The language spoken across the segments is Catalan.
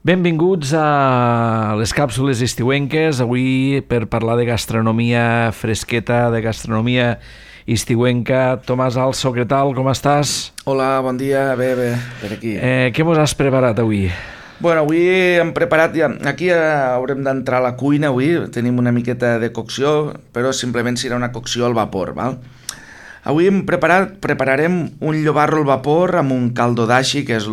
Benvinguts a les càpsules estiuenques, avui per parlar de gastronomia fresqueta, de gastronomia estiuenca. Tomàs Alzo, què tal? Com estàs? Hola, bon dia, bé, per aquí. Què mos has preparat avui? Bueno, avui hem preparat, aquí haurem d'entrar a la cuina avui, tenim una miqueta de cocció, però simplement serà una cocció al vapor, val? Avui prepararem un llobarro al vapor amb un caldo dashi, que és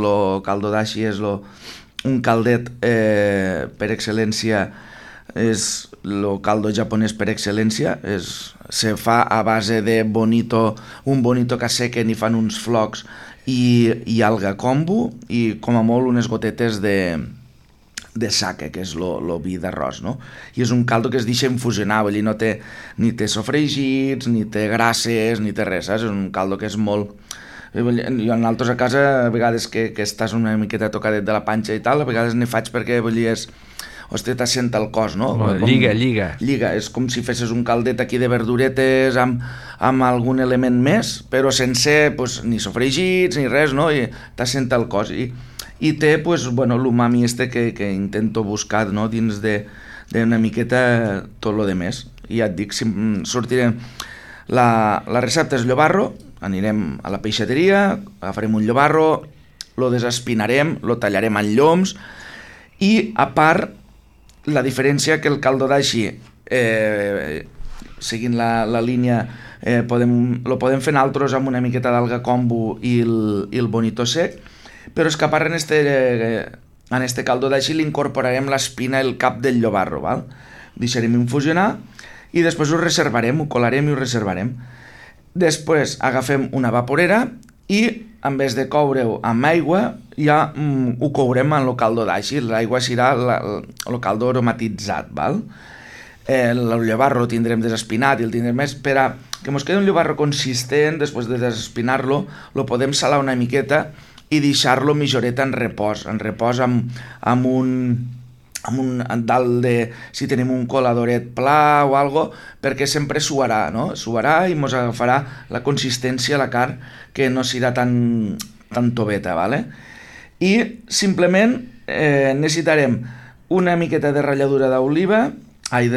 un caldet per excel·lència, és el caldo japonès per excel·lència, se fa a base de un bonito que sequen i fan uns flocs i alga kombu i com a molt unes gotetes de sake, que és el vi d'arròs, no? I és un caldo que es deixa infusionar, vull dir, ni té sofregits, ni té grasses, ni té res, saps? És un caldo que és molt... Jo nosaltres a casa, a vegades que estàs una miqueta tocadet de la panxa i tal, a vegades n'hi faig perquè, vull dir, hòstia, t'assenta el cos, no? Lliga. Lliga, és com si fessis un caldet aquí de verduretes amb algun element més, però sense ni sofregits ni res, no? I t'assenta el cos. I té, l'umami que intento buscar, no? Dins d'una miqueta tot lo de més. I ja et dic, sortirem... La recepta és llobarro, anirem a la peixateria, agafarem un llobarro, lo desespinarem, lo tallarem en lloms i, a part, la diferència que el caldo dashi, seguint la línia, lo podem fer nosaltres amb una miqueta d'alga kombu i el bonito sec, però és que a part en este caldo dashi li incorporarem l'espina, el cap del llobarro, val? Deixarem infusionar i després ho reservarem, ho colarem i ho reservarem. Després agafem una vaporera i en vez de coure-ho amb aigua ja ho courem en el caldo dashi. L'aigua serà el caldo aromatitzat, val? El llobarro el tindrem desespinat i el tindrem més per a que ens quedi un llobarro consistent. Després de desespinar-lo lo podem salar una miqueta i deixar-lo mitjoreta en repòs amb un dalt de, si tenim un coladoret pla o algo, perquè sempre suarà, no? Suarà i ens agafarà la consistència a la carn, que no serà tan toveta, ¿vale? I simplement necessitarem una miqueta de ratlladura d'oliva, oli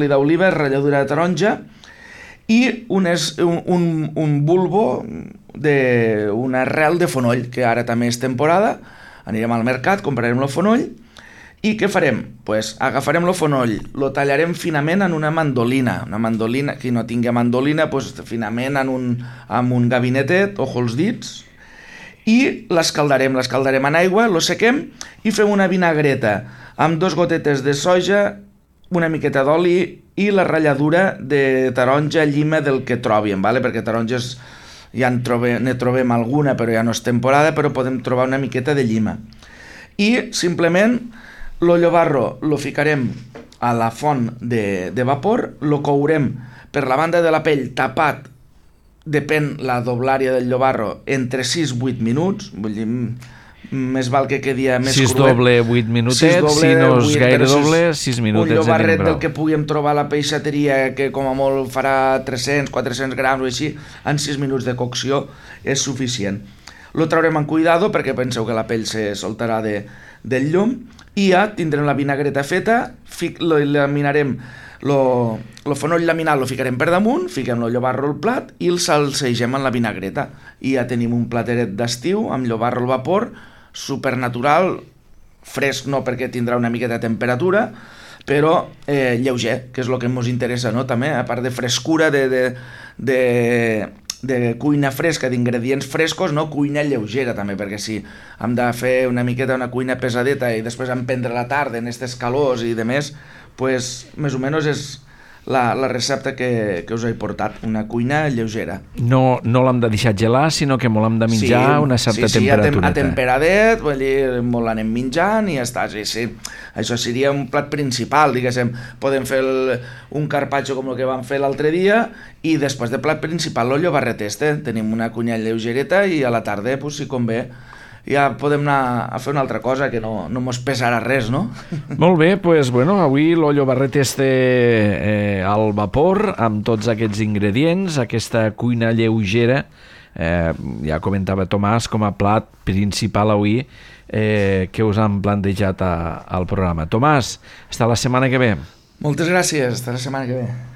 d'oliva, ratlladura de taronja i un bulbo d'una arrel de fonoll, que ara també és temporada. Anirem al mercat, comprarem el fonoll i què farem? Pues agafarem el fonoll, lo tallarem finament en una mandolina, qui no tingui mandolina, pues finament amb un gabinetet, ojo els dits, i l'escaldarem en aigua, lo sequem i fem una vinagreta amb 2 gotetes de soja, una miqueta d'oli i la ratlladura de taronja, llima del que trobem, ¿vale? Perquè taronges ja ne trobem alguna, però ja no és temporada, però podem trobar una miqueta de llima. I simplement lo llobarro lo ficarem a la font de vapor, lo courem per la banda de la pell tapat, depèn la doblària del llobarro, entre 6-8 minuts, vull dir, més val que quedi més cruet. 6 doble 8 minutets, si no és gaire doble, 6 minutets. Un llobarret del que puguem trobar a la peixateria, que com a molt farà 300-400 grams o així, en 6 minuts de cocció és suficient. Lo traurem amb cuidado perquè penseu que la pell se soltarà del llum i ja tindrem la vinagreta feta, laminarem el fonoll laminat, lo ficarem per damunt, fiquem el llobarro al plat i el salsegem en la vinagreta i ja tenim un plateret d'estiu amb llobarro al vapor, supernatural, fresc no perquè tindrà una miqueta de temperatura, però lleuger, que és el que ens interessa, no? També, a part de frescura, de cuina fresca, d'ingredients frescos, no? Cuina lleugera també, perquè si hem de fer una miqueta una cuina pesadeta i després emprendre la tarda en aquestes calors i demés, pues més o menys és la recepta que us he portat, una cuina lleugera. No l'hem de deixar gelar, sinó que l'hem de menjar a una certa temperatura. A temperadet, vull dir, molt l'anem menjant i ja està. Sí. Això seria un plat principal, diguéssim. Podem fer un carpaccio com el que vam fer l'altre dia i després de plat principal el llobarret este. Tenim una cuina lleugereta i a la tarda, si convé, ja podem anar a fer una altra cosa que no mos pesarà res, no? Molt bé, doncs avui l'ollo barret al vapor amb tots aquests ingredients, aquesta cuina lleugera, ja comentava Tomàs, com a plat principal avui que us han plantejat al programa. Tomàs, fins la setmana que ve. Moltes gràcies, fins la setmana que ve.